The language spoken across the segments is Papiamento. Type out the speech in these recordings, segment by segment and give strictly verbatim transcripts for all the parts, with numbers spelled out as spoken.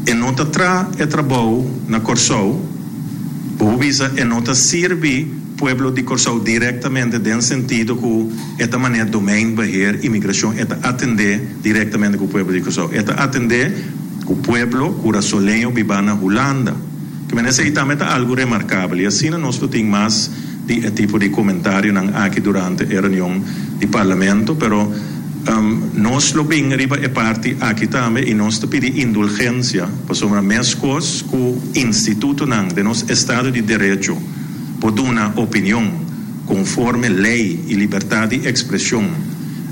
E no ta traha e trabou na Kòrsou, bo bisa e no ta sirbi pueblo di Kòrsou direktamente den sentido ku e ta manera Domeinbeheer Immigrashon, e ta atendé direktamente ku pueblo di Kòrsou. E ta atendé ku pueblo kurasoleño bibá na Hulanda. Ke men esei tambe ta algu remarkabel i asina nos lo tin mas di e tipo di komentarionan aki durante e reunion di Parlamento, pero nos lo bin riba e parti aki tambe i nos ta pidi indulgensia pasobra meskos ku institutonan den nos estado di derecho por duna opinion konforme lei i libertat di ekspreshon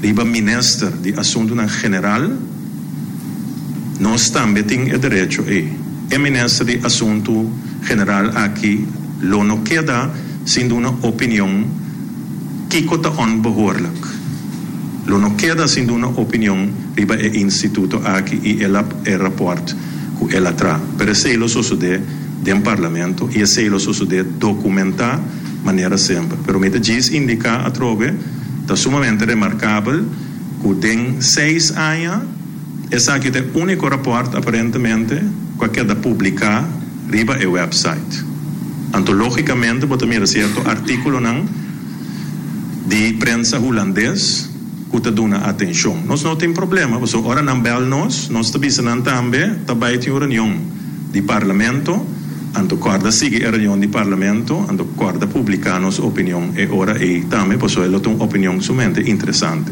riba Minister di Asuntunan General, nos tambe tin e derecho ei. E Minister di Asuntu General aki lo no keda sin duna opinion kiko ta onbehoorlijk. Lo no keda sin duna opinion riba e instituto aki i el a e rapòrt ku el a traha. Pero esei lo sosodé den Parlamento i esei lo sosodé dokumentá manera semper. Pero mi ta djis indiká atrobe, ta sumamente remarkabel ku den seis aña esaki ta e úniko rapòrt aparentemente ku a keda publiká riba e wèpsait. Anto lógikamente bo ta mira sierto artíkulonan di prensa hulandes ku ta duna atenshon. Nos no tin problema, pasobra ora nan bèl nos, nos ta bisa nan tambe ta bai tin un reunion di Parlamento, anto kòrda sigui e reunion di Parlamento, anto kòrda publiká nos opinion e ora ei tambe, pasobra e lo ta un opinion sumamente interesante.